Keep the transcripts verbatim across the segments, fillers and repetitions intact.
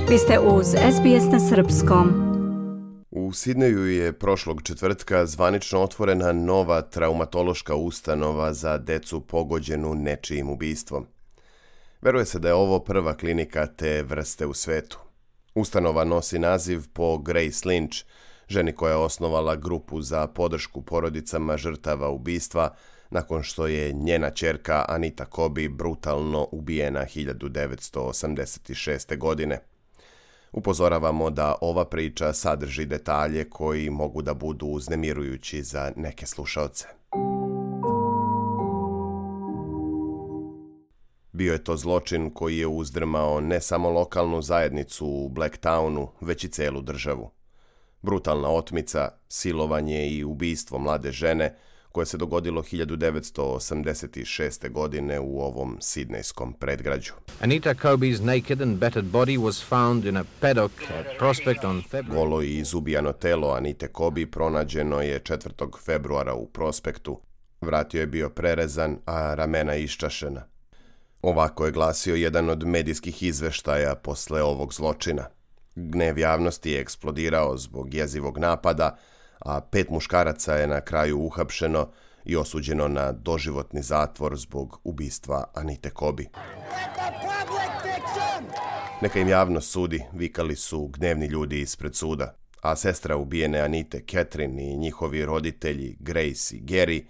Vi ste uz S B S na srpskom. U Sidneju je prošlog četvrtka zvanično otvorena nova traumatološka ustanova za decu pogođenu nečijim ubistvom. Veruje se da je ovo prva klinika te vrste u svetu. Ustanova nosi naziv po Grace Lynch, ženi koja je osnovala grupu za podršku porodicama žrtava ubistva nakon što je njena ćerka Anita Kobi brutalno ubijena hiljadu devetsto osamdeset šeste. godine. Upozoravamo da ova priča sadrži detalje koji mogu da budu uznemirujući za neke slušaoce. Bio je to zločin koji je uzdrmao ne samo lokalnu zajednicu u Blacktownu, već i celu državu. Brutalna otmica, silovanje i ubistvo mlade žene koje se dogodilo hiljadu devetsto osamdeset šeste. godine u ovom sidnejskom predgrađu. Anita Kobi's naked and battered body was found in a paddock at Prospect on February. Golo i izubijano telo Anite Kobi pronađeno je četvrtog februara u Prospektu. Vratio je bio prerezan, a ramena iščašena. Ovako je glasio jedan od medijskih izveštaja posle ovog zločina. Gnev javnosti je eksplodirao zbog jezivog napada, a pet muškaraca je na kraju uhapšeno i osuđeno na doživotni zatvor zbog ubistva Anite Kobi. Neka im javnost sudi, vikali su gnevni ljudi ispred suda, a sestra ubijene Anite, Catherine, i njihovi roditelji Grace i Gary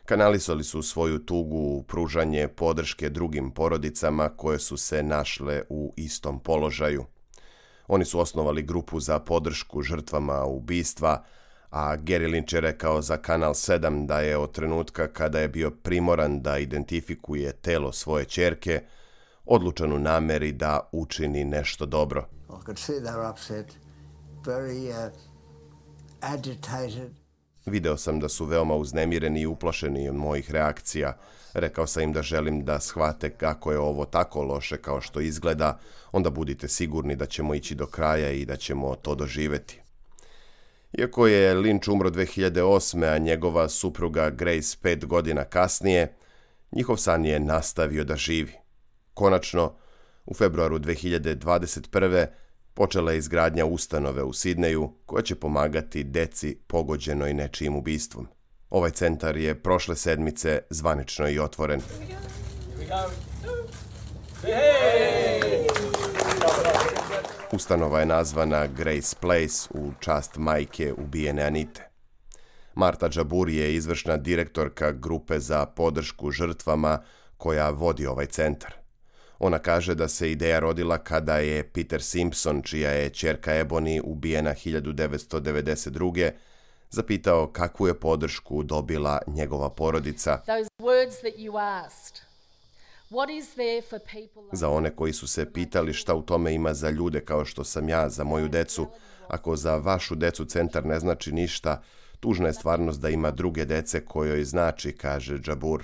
kanalisali su svoju tugu u pružanje podrške drugim porodicama koje su se našle u istom položaju. Oni su osnovali grupu za podršku žrtvama ubistva, a Gary Lynch je rekao za Kanal sedam da je od trenutka kada je bio primoran da identifikuje telo svoje ćerke, odlučan u nameri da učini nešto dobro. Video sam da su veoma uznemireni i uplašeni od mojih reakcija. Rekao sam im da želim da shvate kako je ovo tako loše kao što izgleda, onda budite sigurni da ćemo ići do kraja i da ćemo to doživeti. Iako je Lynch umro dve hiljade osme. a njegova supruga Grace pet godina kasnije, njihov san je nastavio da živi. Konačno, u februaru dve hiljade dvadeset prve. počela je izgradnja ustanove u Sidneju koja će pomagati deci pogođenoj nečijim ubistvom. Ovaj centar je prošle sedmice zvanično i otvoren. Ustanova je nazvana Grace Place u čast majke ubijene Anite. Marta Jabbour je izvršna direktorka grupe za podršku žrtvama koja vodi ovaj centar. Ona kaže da se ideja rodila kada je Peter Simpson, čija je ćerka Ebony ubijena hiljadu devetsto devedeset druge. zapitao kakvu je podršku dobila njegova porodica. Za one koji su se pitali šta u tome ima za ljude kao što sam ja, za moju decu. Ako za vašu decu centar ne znači ništa, tužna je stvarnost da ima druge dece kojoj znači, kaže Jabbour.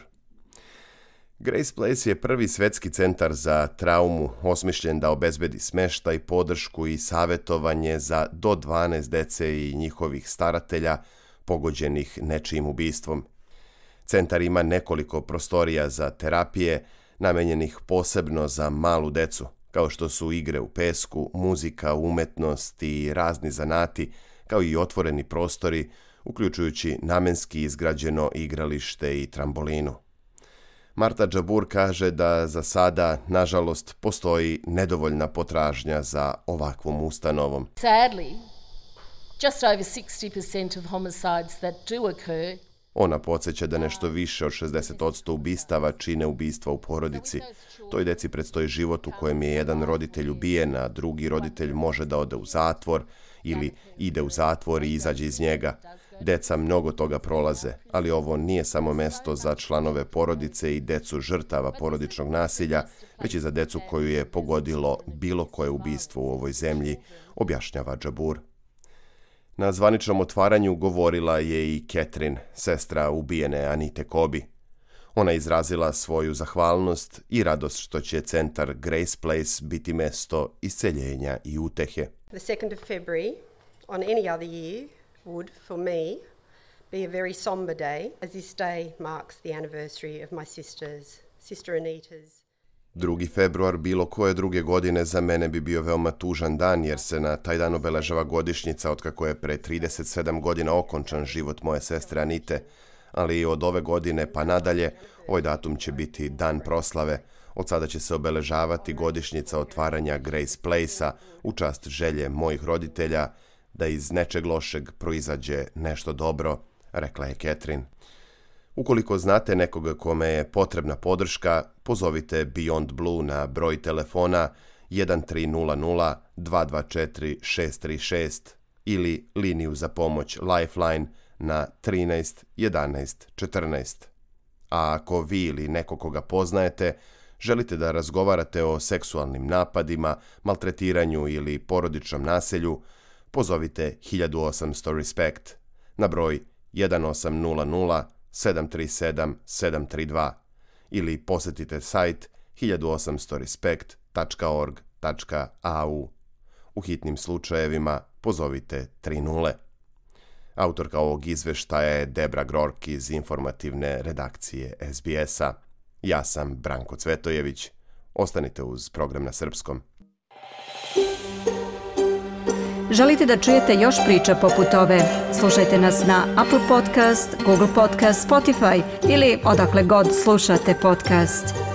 Grace Place je prvi svetski centar za traumu, osmišljen da obezbedi smeštaj, podršku i savjetovanje za do dvanaest dece i njihovih staratelja pogođenih nečijim ubistvom. Centar ima nekoliko prostorija za terapije, namenjenih posebno za malu decu, kao što su igre u pesku, muzika, umetnost i razni zanati, kao i otvoreni prostori, uključujući namenski izgrađeno igralište i trambolinu. Marta Jabbour kaže da za sada, nažalost, postoji nedovoljna potražnja za ovakvom ustanovom. Sadly, just over sixty percent of homicides that do occur. Ona podsjeća da nešto više od šezdeset posto ubistava čine ubistva u porodici. Toj deci predstoji život u kojem je jedan roditelj ubijen, a drugi roditelj može da ode u zatvor ili ide u zatvor i izađe iz njega. Deca mnogo toga prolaze, ali ovo nije samo mesto za članove porodice i decu žrtava porodičnog nasilja, već i za decu koju je pogodilo bilo koje ubistvo u ovoj zemlji, objašnjava Jabbour. Na zvaničnom otvaranju govorila je i Catherine, sestra ubijene Anite Kobi. Ona izrazila svoju zahvalnost i radost što će centar Grace Place biti mesto isceljenja i utehe. The second of February on any other year would, for me, be a very somber day, as this day marks the anniversary of my sister's, sister Anita's drugi februar bilo koje druge godine za mene bi bio veoma tužan dan jer se na taj dan obeležava godišnjica otkako je pre trideset sedam godina okončan život moje sestre Anite, ali od ove godine pa nadalje ovaj datum će biti dan proslave. Od sada će se obeležavati godišnjica otvaranja Grace Place-a u čast želje mojih roditelja da iz nečeg lošeg proizađe nešto dobro, rekla je Catherine. Ukoliko znate nekoga kome je potrebna podrška, pozovite Beyond Blue na broj telefona jedan tri nula nula dva dva četiri šest tri šest ili liniju za pomoć Lifeline na trinaest jedanaest četrnaest. A ako vi ili neko koga poznajete želite da razgovarate o seksualnim napadima, maltretiranju ili porodičnom nasilju, pozovite hiljadu osamsto Respect na broj jedan osam nula nula sedam tri sedam sedam tri dva ili posetite sajt hiljadu osamsto respect tačka org tačka a u. U hitnim slučajevima pozovite tri nule. Autorka ovog izveštaja je Debra Grork iz informativne redakcije S B S-a. Ja sam Branko Cvetojević. Ostanite uz program na srpskom. Želite da čujete još priča poput ove? Slušajte nas na Apple Podcast, Google Podcast, Spotify ili odakle god slušate podcast.